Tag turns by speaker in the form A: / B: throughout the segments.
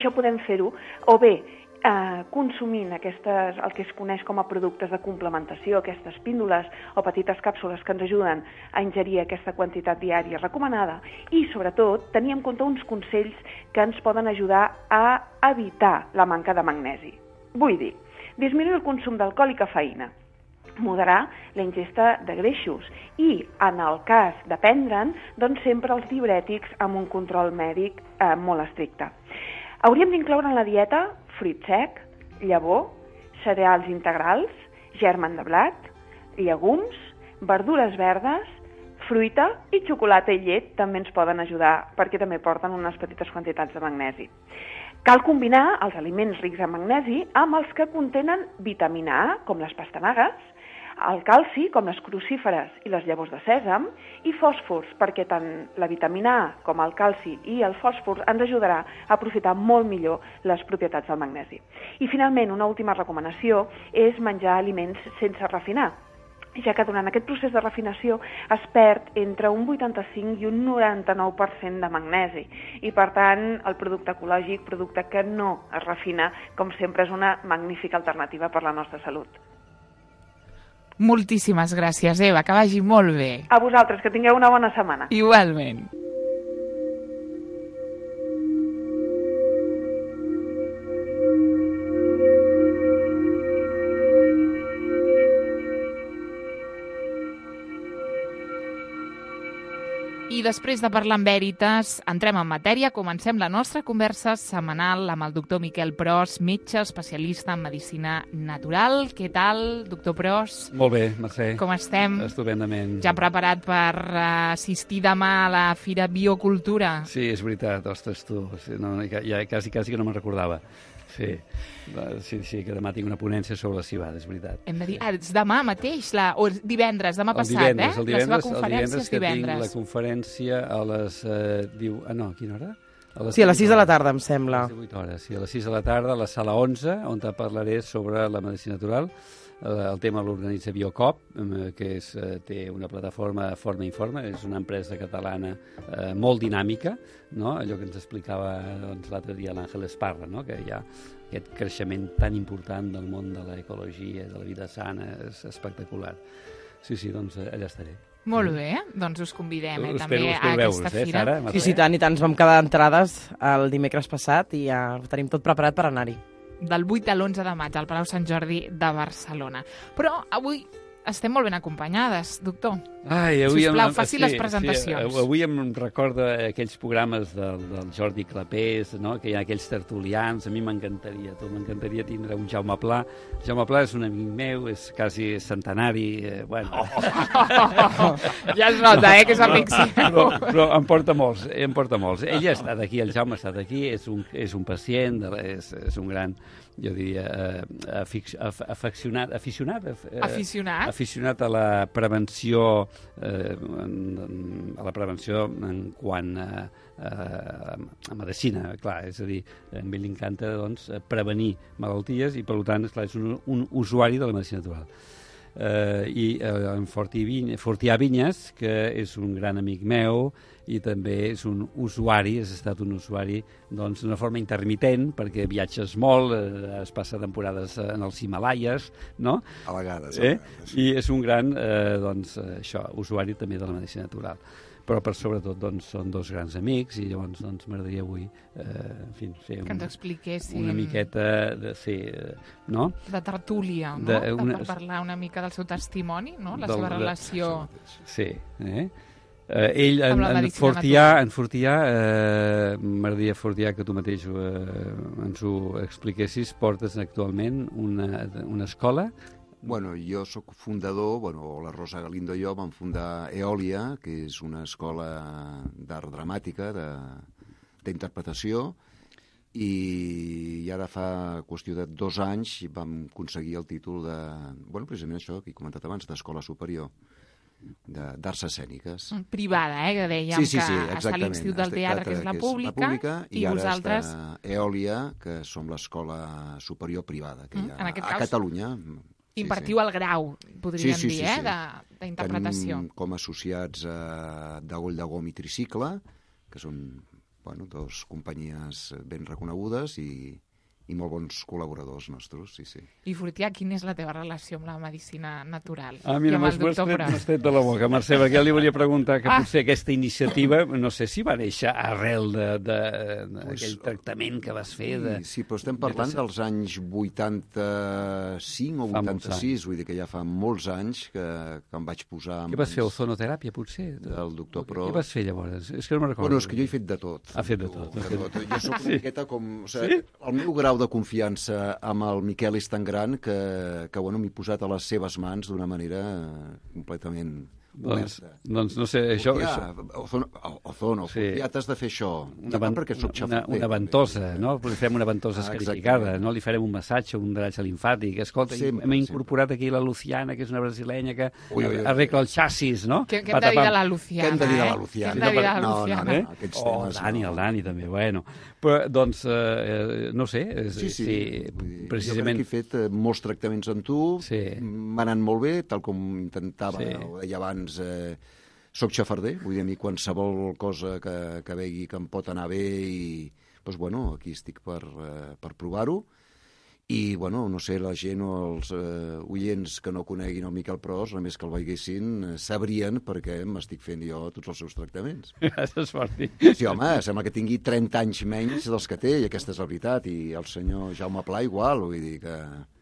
A: Això podem fer-ho o bé consumint el que es coneix com a productes de complementació, aquestes píndoles o petites càpsules que ens ajuden a ingerir aquesta quantitat diària recomanada i, sobretot, tenir en compte uns consells que ens poden ajudar a evitar la manca de magnesi. Vull dir, disminuir el consum d'alcohol i cafeïna, moderar la ingesta de greixos i, en el cas de prendre'n, doncs sempre els diürètics amb un control mèdic molt estricte. Hauríem d'incloure en la dieta fruit sec, llavor, cereals integrals, germen de blat, llegums, verdures verdes, fruita i xocolata i llet també ens poden ajudar perquè també porten unes petites quantitats de magnesi. Cal combinar els aliments rics en magnesi amb els que contenen vitamina A, com les pastanagues, el calci, com les crucíferes i les llavors de sèsam, i fòsfors, perquè tant la vitamina A com el calci i el fòsfor ens ajudarà a aprofitar molt millor les propietats del magnesi. I finalment, una última recomanació és menjar aliments sense refinar, ja que durant aquest procés de refinació es perd entre un 85 i un 99% de magnesi i, per tant, el producte ecològic, producte que no es refina, com sempre és una magnífica alternativa per la nostra salut.
B: Moltíssimes gràcies, Eva, que vagi molt bé.
A: A vosaltres, que tingueu una bona setmana.
B: Igualment. I després de parlar amb Veritas, entrem en matèria, comencem la nostra conversa setmanal amb el doctor Miquel Pros, metge especialista en medicina natural. Què tal, doctor Pros?
C: Molt bé, Mercè.
B: Com estem?
C: Estupendament.
B: Ja preparat per assistir demà a la Fira Biocultura?
C: Sí, és veritat, ostres, tu. No, ja quasi que no me'n recordava. Sí, que demà tinc una ponència sobre la cibada, és veritat.
B: Hem de dir, és demà mateix, o divendres, demà passat,
C: la seva conferència
B: és divendres.
C: La conferència a les... a quina hora?
D: Sí, a les 6 de la tarda, em sembla.
C: A les 8 hores, sí, a les 6 de la tarda, a la sala 11, on te parlaré sobre la medicina natural. El tema l'organitza Biocop, que té una plataforma Forma Informa, és una empresa catalana molt dinàmica, no? Allò que ens explicava l'altre dia l'Àngel Esparra, no? Que hi ha aquest creixement tan important del món de l'ecologia, de la vida sana, és espectacular. Sí, doncs allà estaré.
B: Molt bé, doncs us convidem també a
C: veure-us,
B: aquesta fira.
C: Sara,
D: sí, tant, i tant, ens vam quedar entrades el dimecres passat i ja ho tenim tot preparat per anar-hi.
B: Del 8 a l'11 de maig al Palau Sant Jordi de Barcelona. Però avui estem molt ben acompanyades, doctor. Sisplau, faci les presentacions.
C: Sí, avui em recorda aquells programes del Jordi Clapés, no? Que hi ha aquells tertulians. A mi m'encantaria tindre un Jaume Pla. Jaume Pla és un amic meu, és quasi centenari.
B: Ja es nota, que és amic seu.
C: Però em porta molts. Ell ha estat aquí, el Jaume ha estat aquí, és un pacient, és un gran, jo diria, aficionat a la prevenció en quant a medicina, clar, és a dir, a mi li encanta prevenir malalties i, per tant, és un usuari de la medicina natural. I en Fortià Vinyes, que és un gran amic meu i també és un usuari, has estat un usuari d'una forma intermitent, perquè viatges molt, es passa temporades en els Himalaies, no?
E: A vegades.
C: I és un gran usuari també de la medicina natural. Però per sobretot són dos grans amics i llavors m'agradaria avui fer
B: que ens expliquéssim
C: una miqueta no?
B: De tertúlia, no? Per parlar una mica del seu testimoni, no? La seva relació.
C: Sí, ell, en Fortià, m'agradaria, Fortià, que tu mateix ens ho expliquessis, portes actualment una escola.
E: Bueno, jo sóc fundador, la Rosa Galindo i jo vam fundar Eòlia, que és una escola d'art dramàtica, d'interpretació, i ara fa qüestió de 2 anys vam aconseguir el títol de, precisament això que he comentat abans, d'escola superior d'arts escèniques.
B: Privada, que dèiem que està a l'Institut del Teatre, que és la pública, i vosaltres...
E: I ara està Eòlia, que som l'escola superior privada que hi ha a Catalunya.
B: Impartiu el grau, podríem dir, d'interpretació.
E: Tenim com associats Dagoll de Gom i Tricicle, que són dos companyies ben reconegudes i molt bons col·laboradors nostres, sí.
B: I Fortià, quina és la teva relació amb la medicina natural?
C: Mira,
B: I amb el doctor Pros?
C: m'has tret de la boca, Mercè, perquè li volia preguntar que potser aquesta iniciativa, no sé si va néixer arrel d'aquell tractament que vas fer.
E: Sí, però estem parlant dels anys 85 o 86, vull dir que ja fa molts anys que em vaig posar...
C: Què vas fer, ozonoteràpia, potser?
E: Del doctor Pros.
C: Què vas fer, llavors? És que no me'n recordo.
E: Bueno, és que jo he fet de tot.
C: Ha fet de tot.
E: Jo soc una miqueta com... El meu grau de confiança amb el Miquel és tan gran que m'he posat a les seves mans d'una manera completament oberta.
C: Doncs no sé, això...
E: Ozono, ja t'has de fer això. Perquè soc xafater.
C: Una ventosa, no? Li farem una ventosa escarificada, no? Li farem un massatge, un drenatge limfàtic. Escolta, hem incorporat aquí la Luciana, que és una brasilenya que arregla el xassis, no?
B: Què hem de dir de la Luciana?
E: Què hem de dir de la Luciana?
B: No,
E: aquests temes...
C: El Dani també, bueno. Però, doncs, no sé,
E: sí.
C: Precisament...
E: Jo crec que he fet molts tractaments amb tu, m'ha anat molt bé, tal com intentava, ho deia abans, soc xafarder, vull dir, a mi qualsevol cosa que vegi que em pot anar bé i, doncs, aquí estic per provar-ho. I, no sé, la gent o els oients que no coneguin el Miquel Pros, només que el veiessin, sabrien perquè m'estic fent jo tots els seus tractaments.
C: Gràcies, Martí.
E: Sí, home, sembla que tingui 30 anys menys dels que té, i aquesta és la veritat. I el senyor Jaume Pla igual, vull dir que...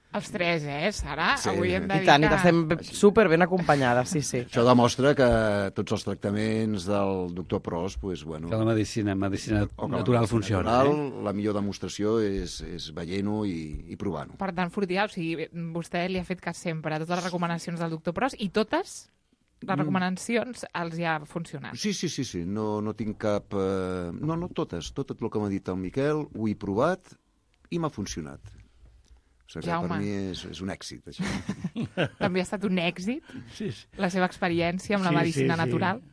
B: Els tres, Sara?
E: Sí.
B: Avui hem de dir
D: I tant, i estem super ben acompanyades, sí.
E: Això demostra que tots els tractaments del doctor Pros,
C: Que la medicina natural funciona.
E: La millor demostració és veient-ho i provant-ho.
B: Per tant, Fortià, o sigui, vostè li ha fet cas sempre a totes les recomanacions del doctor Pros i totes les recomanacions els hi ha funcionat.
E: Sí. No tinc cap... No, totes. Tot el que m'ha dit el Miquel ho he provat i m'ha funcionat. O sigui, per mi és un èxit, això.
B: També ha estat un èxit la seva experiència amb la medicina natural?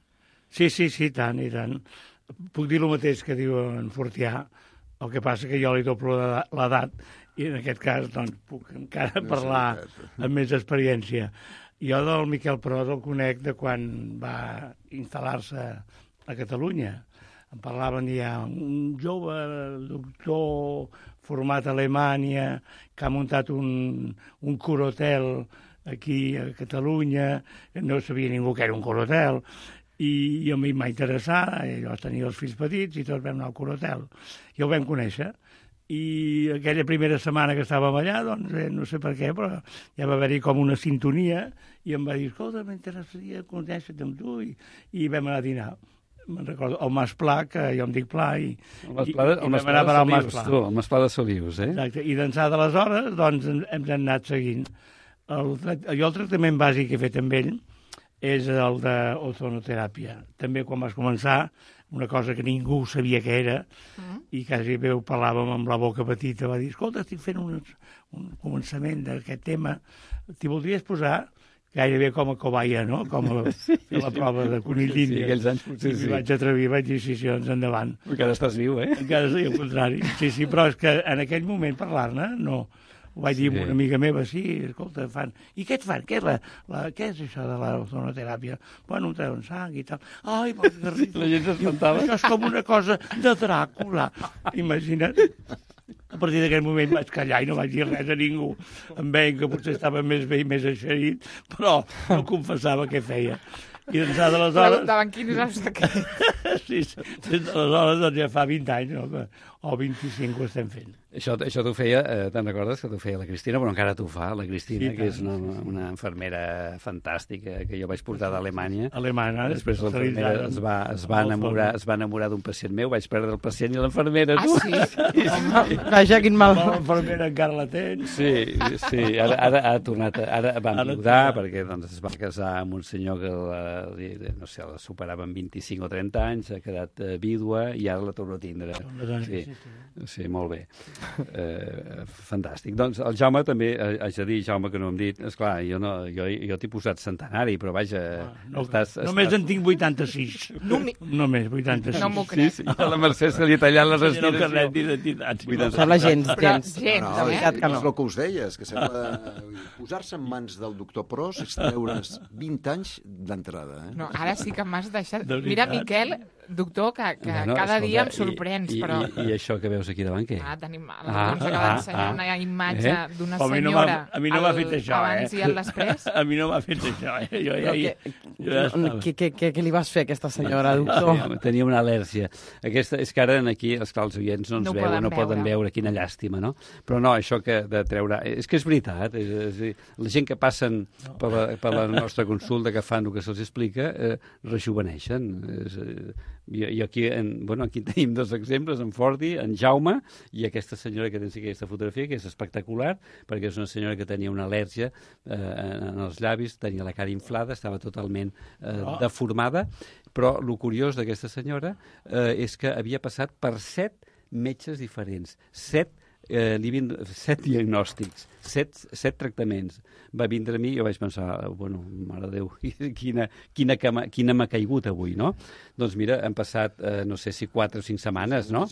F: Sí, tant i tant. Puc dir el mateix que diu en Fortià, el que passa que jo li doblo l'edat i en aquest cas doncs, puc encara parlar amb més experiència. Jo del Miquel Pros el conec de quan va instal·lar-se a Catalunya. Em parlaven ja un jove doctor format a Alemanya que ha muntat un corotel aquí a Catalunya, no sabia ningú que era un corotel, i a mi m'ha interessat, jo tenia els fills petits i tots vam anar al corotel. I el vam conèixer. I aquella primera setmana que estàvem allà, doncs, no sé per què, però ja va haver-hi com una sintonia i em va dir, escolta, m'interessaria conèixer-te amb tu, i vam anar a dinar. Me'n recordo, el Mas Pla, que jo em dic Pla, i vam anar a parar al Mas Pla.
C: El Mas Pla de Solius,
F: Exacte, i d'ençà d'aleshores, doncs, hem anat seguint. Jo el tractament bàsic que he fet amb ell és el d'ozonoteràpia. També quan vas començar, una cosa que ningú sabia què era, i quasi bé ho parlàvem amb la boca petita, va dir, escolta, estic fent un començament d'aquest tema, t'hi voldries posar? Gairebé com a cobaia, no? Com a fer la prova de conill d'Índia.
C: Sí, aquells anys potser sí.
F: I vaig atrevir, vaig dir, sí, doncs endavant.
C: Encara estàs viu,
F: Encara sí, al contrari. Sí, però és que en aquell moment parlar-ne, no. Ho vaig dir a una amiga meva, sí, escolta, fan... I què et fan? Què és això de l'ozonoteràpia? Bueno, em treuen sang i tal. Ai, vols que ric.
C: La gent s'espantava.
F: Això és com una cosa de Dràcula. Imagina't. A partir d'aquell moment vaig callar i no vaig dir res a ningú. Em veien que potser estava més bé i més eixerit, però no confessava què feia. I d'ençà d'aleshores...
B: Preguntaven quin és el secret.
F: Sí, des d'aleshores doncs ja fa 20 anys, no? O 25 ho estem fent.
C: Això t'ho feia, te'n recordes que t'ho feia la Cristina, però encara t'ho fa, la Cristina, que és una infermera fantàstica que jo vaig portar d'Alemanya.
F: Alemanya.
C: Després l'infermera es va enamorar d'un pacient meu, vaig perdre el pacient i l'infermera.
D: Vaja, quin mal.
F: L'infermera encara la tens.
C: Sí, ara ha tornat, ara va enviudar, perquè doncs, es va casar amb un senyor que no sé, la superava en 25 o 30 anys, ha quedat vídua i ara la torno a tindre. Sí, molt bé. Fantàstic. Doncs el Jaume també, haig de dir, Jaume, que no hem dit, esclar, jo t'he posat centenari, però vaja...
F: Només en tinc 86. Només 86.
B: No m'ho crec.
C: Sí, a la Mercè se li ha tallat la respiració.
F: No carnet d'identitat.
D: Sembla gens.
E: No, és el que us deia, és que sembla posar-se en mans del doctor Pros és treure's 20 anys d'entrada.
B: No, ara sí que m'has deixat... Mira, Miquel, doctor, que cada dia em sorprens, però...
C: I això que veus aquí davant, què?
B: Tenim... Ens acaba d'ensenyar una imatge d'una senyora
F: a mi no m'ha fet això,
B: abans i al després.
F: A mi no m'ha fet això, Jo ja estava.
D: Què li vas fer a aquesta senyora, doctor?
C: Sí, tenia una al·lèrgia. Aquesta, és que ara aquí, esclar, els oients no ens veuen, no poden veure, quina llàstima, no? Però no, això que de treure... És que és veritat, la gent que passen per la nostra consulta, que fan el que se'ls explica, rejuveneixen. I aquí, aquí tenim dos exemples, en Forti, en Jaume, i aquesta senyora que tens aquí aquesta fotografia, que és espectacular, perquè és una senyora que tenia una al·lèrgia en els llavis, tenia la cara inflada, estava totalment deformada, però el curiós d'aquesta senyora és que havia passat per 7 metges diferents, 7 diagnòstics, 7 tractaments. Va vindre a mi i jo vaig pensar, mare de Déu, quina m'ha caigut avui, no? Doncs mira, han passat, no sé si 4 o 5 setmanes, no?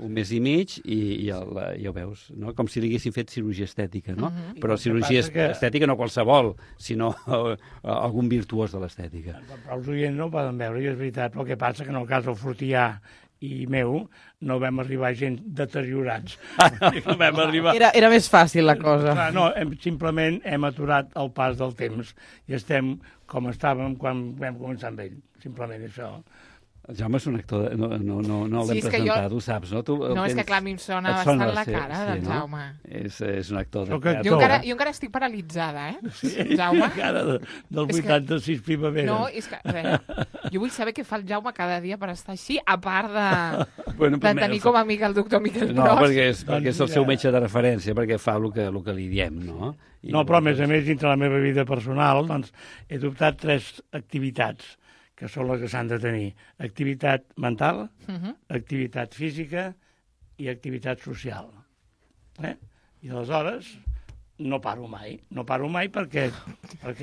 C: Un mes i mig i ja ho veus, no? Com si li haguessin fet cirurgia estètica, no? Però cirurgia estètica no qualsevol, sinó algun virtuós de l'estètica.
F: Però els oients no ho poden veure, i és veritat, però el que passa que en el cas del Fortià i meu, no vam arribar gent deteriorats. No vam arribar...
D: Era més fàcil la cosa.
F: Clar, no, simplement hem aturat el pas del temps i estem com estàvem quan vam començar amb ell. Simplement això.
C: El Jaume és un actor, no l'hem presentat, ho saps, no?
B: És que clar, a mi em sona bastant la cara del Jaume.
C: És un actor de
B: teatre. Jo encara estic paralitzada, Jaume?
F: Encara del 86 primavera.
B: No, és que, jo vull saber què fa el Jaume cada dia per estar així, a part de tenir com a amic el doctor Miquel Pros.
C: No, perquè és el seu metge de referència, perquè fa el que li diem, no?
F: No, però a més, dintre la meva vida personal, doncs, he adoptat 3 activitats que són les que s'han de tenir. Activitat mental, activitat física i activitat social. I aleshores no paro mai perquè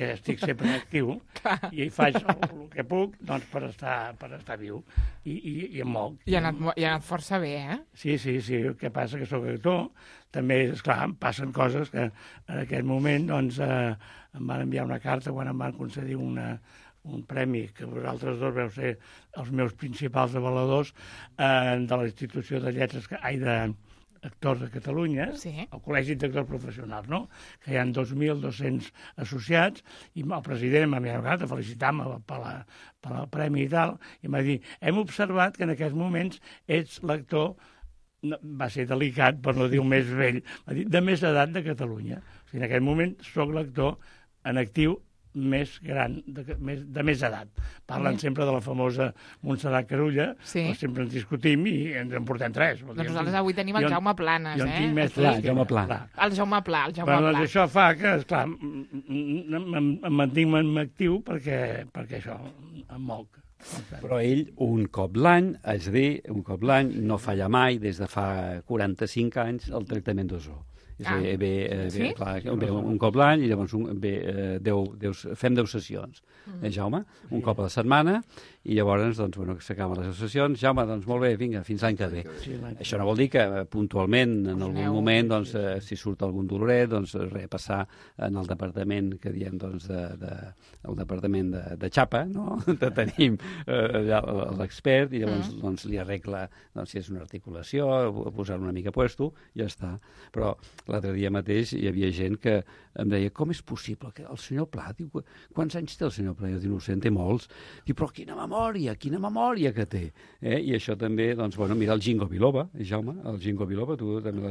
F: estic sempre actiu i faig el que puc per estar viu i em moc.
B: I ha anat força bé,
F: Sí, el que passa que sóc actor, també, esclar, em passen coses que en aquest moment doncs, em van enviar una carta quan em van concedir un premi que vosaltres dos veu ser els meus principals avaladors de la Institució de Lletres, d'actors de Catalunya, el Col·legi d'Actors Professionals, no? Que hi ha 2.200 associats, i el president m'ha enviat a felicitar-me pel premi i tal, i m'ha dit, hem observat que en aquests moments ets l'actor, va ser delicat, per no dir el més vell, m'ha dit, de més edat de Catalunya. O sigui, en aquest moment soc l'actor en actiu més gran, de més edat. Parlen sempre de la famosa Montserrat Carulla, però sempre ens discutim i ens en portem 3.
B: Doncs nosaltres avui tenim el Jaume Planes,
F: Jo en tinc més
C: El Jaume Pla.
B: El Jaume Pla.
F: Doncs això fa que, esclar, em mantinc actiu perquè això em moc.
C: Però ell, un cop l'any, no falla mai, des de fa 45 anys, el tractament d'ozó. Ve un cop l'any i llavors fem 10 sessions, Jaume, un cop a la setmana, i llavors s'acaben les sessions. Jaume, doncs molt bé, vinga, fins l'any que ve. Això no vol dir que puntualment en algun moment, si surt algun doloret, passar en el departament que diem el departament de xapa, no? Tenim l'expert i llavors li arregla si és una articulació, posar una mica puesto, ja està. Però l'altre dia mateix hi havia gent que em deia, com és possible que el senyor Pla, diu, quants anys té el senyor Pla? Jo dic, no ho sé, en té molts. Diu, però quina memòria que té. I això també, mira el Ginkgo biloba, Jaume, el Ginkgo biloba, tu també no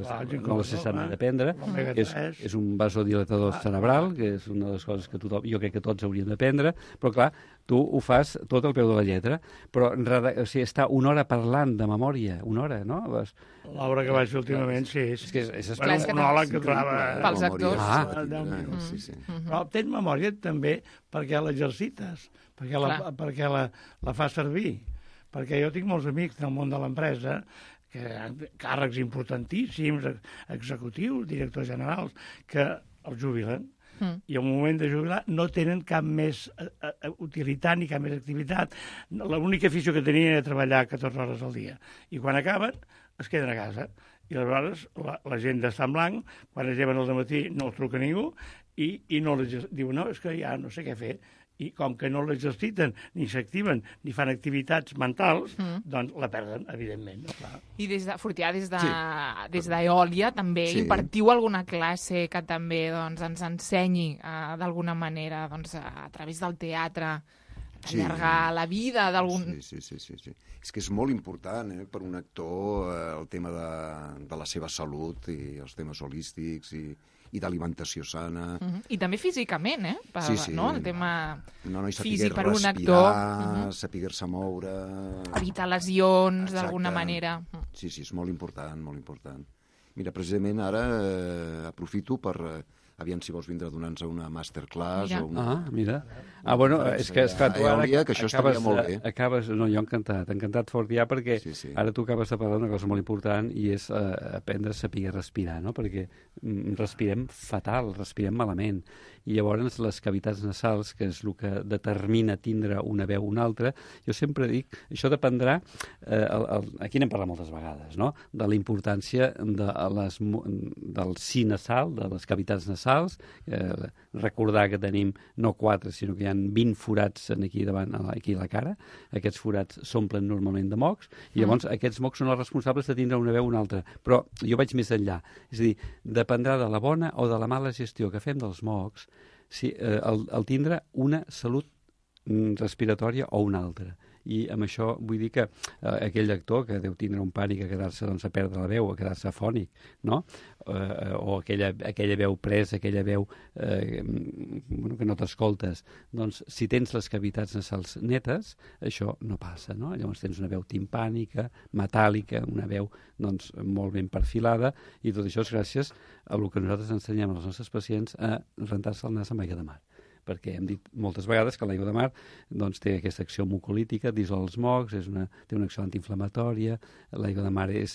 C: l'has cessat d'aprendre. És un vasodilatador cerebral, que és una de les coses que jo crec que tots hauríem d'aprendre, però clar, tu ho fas tot al peu de la lletra, però està una hora parlant de memòria, una hora, no?
F: L'obra que vaig fer últimament, sí.
C: És que és
F: un monòleg que durava...
B: Pels actors.
F: 10 minuts. Però tens memòria també perquè l'exercites, perquè la fas servir. Perquè jo tinc molts amics del món de l'empresa, càrrecs importantíssims, executius, directors generals, que els jubilen. I al moment de jubilar no tenen cap més utilitat ni cap més activitat. L'única afició que tenien era treballar 14 hores al dia. I quan acaben, es queden a casa. I aleshores l'agenda està en blanc, quan es lleven al matí no els truca ningú i no diu, no, és que ja no sé què fer. i com que no l'exerciten, ni s'activen, ni fan activitats mentals, doncs la perden, evidentment. No? Clar.
B: I des de Fortià, des d'Eòlia, també impartiu alguna classe que també doncs, ens ensenyi d'alguna manera a través del teatre, allargar la vida d'algun...
E: Sí. És que és molt important per un actor el tema de la seva salut i els temes holístics i d'alimentació sana.
B: I també físicament, no? El tema físic per un actor.
E: Saber-se moure...
B: Evitar lesions, d'alguna manera.
E: Sí, és molt important, molt important. Mira, precisament ara aprofito per... Aviam si vols vindre a donar-nos una masterclass o una...
C: Mira. Bueno, és que esclar, tu ara
E: que això estaria molt bé.
C: No, jo encantat Fortià, perquè ara tu acabes de parlar d'una cosa molt important i és aprendre a saber respirar, no? Perquè respirem fatal, respirem malament. I llavors les cavitats nasals, que és el que determina tindre una veu o una altra, jo sempre dic, això dependrà, aquí n'hem parlat moltes vegades, no? De la importància del si nasal, de les cavitats nasals, recordar que tenim no 4, sinó que hi ha 20 forats aquí davant, aquí a la cara. Aquests forats s'omplen normalment de mocs, i llavors aquests mocs són els responsables de tindre una veu o una altra. Però jo vaig més enllà. És a dir, dependrà de la bona o de la mala gestió que fem dels mocs, el tindre una salut respiratòria o una altra. I amb això vull dir que aquell actor que deu tindre un pànic a quedar-se a perdre la veu, a quedar-se afònic, no? O aquella veu presa, aquella veu que no t'escoltes, doncs si tens les cavitats nasals netes, això no passa, no? Llavors tens una veu timpànica, metàl·lica, una veu doncs molt ben perfilada, i tot això és gràcies a el que nosaltres ensenyem als nostres pacients a rentar-se el nas amb aigua de mar, perquè hem dit moltes vegades que l'aigua de mar doncs, té aquesta acció mucolítica, dissol els mocs, té una acció antiinflamatòria, l'aigua de mar és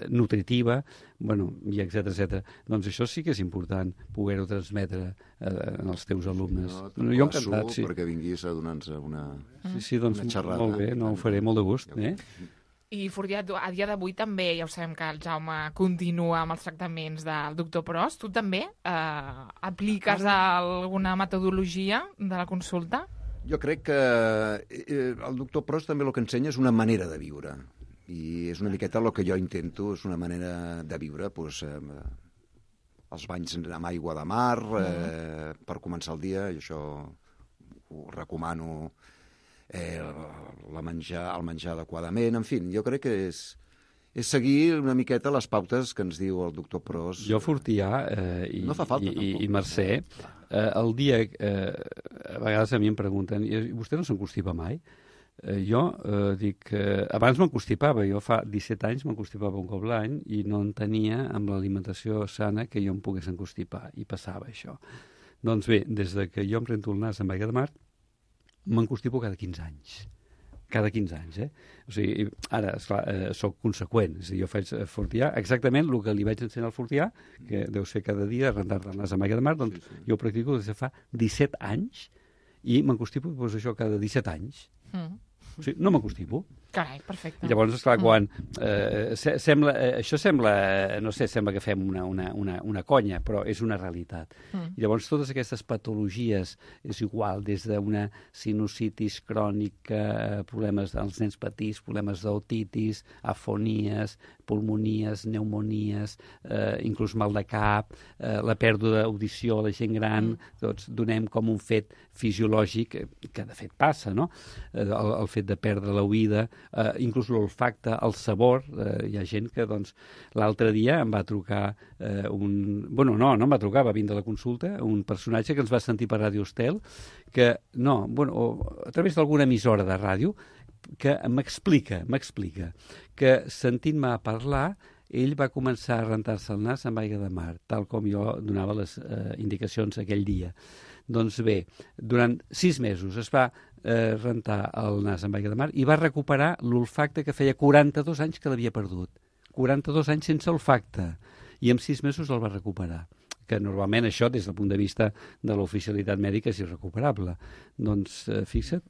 C: nutritiva, i etcètera. Doncs això sí que és important poder-ho transmetre als teus alumnes.
E: Jo encantat, perquè vinguis a donar-nos una xerrada.
C: Molt bé, ho faré molt de gust.
B: I Fortià, a dia d'avui també, ja ho sabem que el Jaume continua amb els tractaments del doctor Pros. Tu també apliques alguna metodologia de la consulta?
E: Jo crec que el doctor Pros també el que ensenya és una manera de viure. I és una miqueta el que jo intento, és una manera de viure, els banys amb aigua de mar, per començar el dia, i això ho recomano, el menjar adequadament, en fi, jo crec que és seguir una miqueta les pautes que ens diu el doctor Pros.
C: Jo, Fortià i Mercè, el dia, a vegades a mi em pregunten, vostè no s'enconstipa mai? Jo dic, abans m'enconstipava, jo fa 17 anys m'enconstipava un cop l'any i no en tenia amb l'alimentació sana que jo em pogués enconstipar, i passava això. Doncs bé, des que jo em rento el nas amb aigua de mar, m'enconstipo cada 15 anys. Cada 15 anys, O sigui, ara, esclar, soc conseqüent. És a dir, jo faig Fortià exactament el que li vaig ensenyar al Fortià, que deu ser cada dia rentar-te el nas amb aigua de mar, doncs jo ho practico des de fa 17 anys i m'enconstipo, doncs això, cada 17 anys. O sigui, no m'enconstipo.
B: Carai, perfecte.
C: I llavors, esclar, quan això sembla, no sé, sembla que fem una conya, però és una realitat. I llavors totes aquestes patologies, és igual, des d'una sinusitis crònica, problemes dels nens petits, problemes d'otitis, afonies, pulmonies, pneumonies, inclús mal de cap, la pèrdua d'audició a la gent gran, tots donem com un fet fisiològic, que de fet passa, no? El fet de perdre l'oïda, inclús l'olfacte, el sabor. Hi ha gent que, doncs, l'altre dia em va trucar no em va trucar, va vindre a la consulta un personatge que ens va sentir per Ràdio Estel, que, a través d'alguna emissora de ràdio, que m'explica que sentint-me parlar ell va començar a rentar-se el nas amb aigua de mar, tal com jo donava les indicacions aquell dia. Doncs bé, durant 6 mesos es va rentar el nas amb aigua de mar i va recuperar l'olfacte que feia 42 anys que l'havia perdut. 42 anys sense olfacte. I en 6 mesos el va recuperar. Que normalment això, des del punt de vista de l'oficialitat mèdica, és irrecuperable. Doncs, fixa't,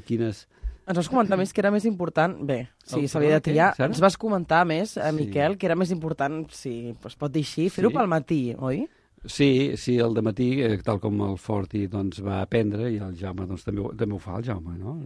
C: quines...
D: Ens vas comentar més que era més important... Bé, si s'havia de triar, ens vas comentar més, Miquel, que era més important, si es pot dir així, fer-ho pel matí, oi?
C: Sí, al dematí, tal com el Forti doncs, va aprendre, i el Jaume doncs, també ho fa, el Jaume, no?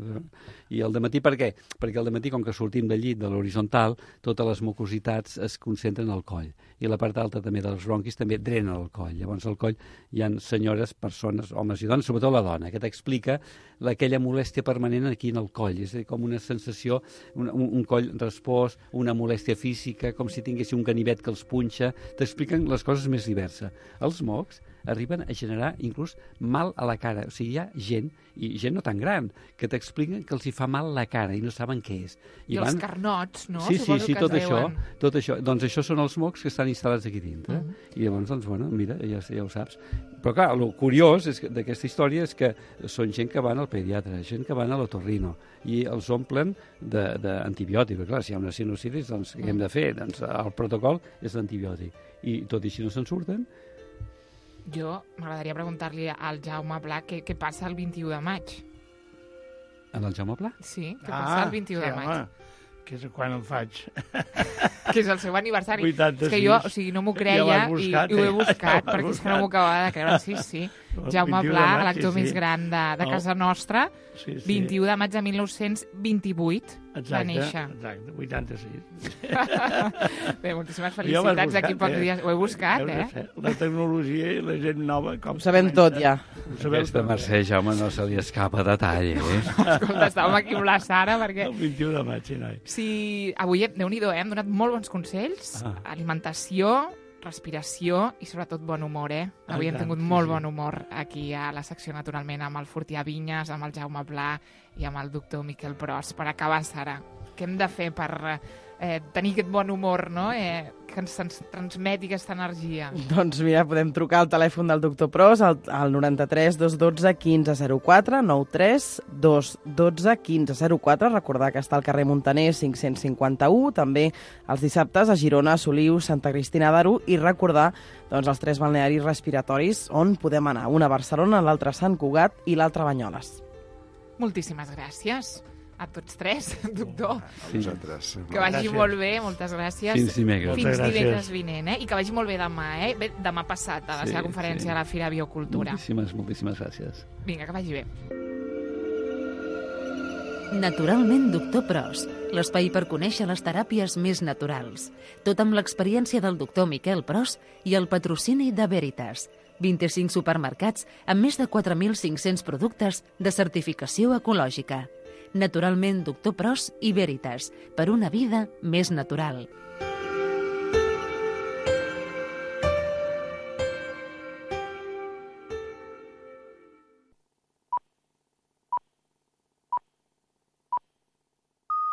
C: I el dematí per què? Perquè al dematí, com que sortim del llit de l'horitzontal, totes les mucositats es concentren al coll, i la part alta també dels bronquis també drena el coll. Llavors al coll hi ha senyores, persones, homes i dones, sobretot la dona, que t'explica aquella molèstia permanent aquí en el coll, és a dir, com una sensació, un coll respòs, una molèstia física, com si tinguessin un ganivet que els punxa, t'expliquen les coses més diverses. Els mocs arriben a generar inclús mal a la cara. O sigui, hi ha gent, i gent no tan gran, que t'expliquen que els hi fa mal la cara i no saben què és.
B: I els carnots, no?
C: Sí,
B: Suposo
C: tot això. Doncs això són els mocs que estan instal·lats aquí dintre. I llavors, doncs, bueno, mira, ja ho saps. Però clar, el curiós d'aquesta història és que són gent que van al pediatre, gent que van a l'otorrino, i els omplen d'antibiòtic. Clar, si hi ha una sinusitis, doncs què hem de fer? Doncs el protocol és l'antibiòtic. I tot i així no se'n surten.
B: Jo m'agradaria preguntar-li al Jaume Pla què passa el 21 de maig.
C: En el Jaume Pla?
B: Sí, què passa el 21 de maig.
F: Home, que és quan em faig.
B: Que és el seu aniversari.
F: 86.
B: És que jo, o sigui, no m'ho creia i ho he buscat, perquè és que no m'ho acabava de creure. Sí. Jaume Pla, l'actor més gran de casa nostra, 21 de maig de 1928 va néixer.
F: Exacte, 86.
B: Bé, moltíssimes felicitats d'aquí pocs dies. Ho he buscat,
F: La tecnologia i la gent nova...
D: Ho sabem tot, ja.
C: Aquesta Mercè, Jaume, no se li escapa detall,
B: Escolta, estàvem aquí amb la Sara, perquè...
F: El 21 de maig, sí, noi.
B: Sí, avui, Déu-n'hi-do, hem donat molt bons consells, alimentació, respiració i sobretot bon humor, Avui hem tingut molt bon humor aquí a la secció, naturalment, amb el Fortià Vinyes, amb el Jaume Pla i amb el doctor Miquel Pros. Per acabar, Sara, què hem de fer per tenir aquest bon humor, no? Que ens transmeti aquesta energia?
D: Doncs mira, podem trucar al telèfon del doctor Pros al 93 212 1504, 93 212 1504. Recordar que està al carrer Montaner 551, també els dissabtes a Girona, Soliu, Santa Cristina d'Aro, i recordar doncs, els 3 balnearis respiratoris on podem anar. Una a Barcelona, l'altra a Sant Cugat i l'altra a Banyoles.
B: Moltíssimes gràcies a tots 3, doctor.
E: Nosaltres.
B: Que vagi molt bé, moltes gràcies.
C: Fins dimecres.
B: Fins divendres vinent, I que vagi molt bé demà, Bé, demà passat, a la seva conferència a la Fira Biocultura.
C: Moltíssimes gràcies.
B: Vinga, que vagi bé.
G: Naturalment, doctor Pros, l'espai per conèixer les teràpies més naturals. Tot amb l'experiència del doctor Miquel Pros i el patrocini de Veritas. 25 supermercats amb més de 4.500 productes de certificació ecològica. Naturalment, doctor Pros i Veritas, per una vida més natural.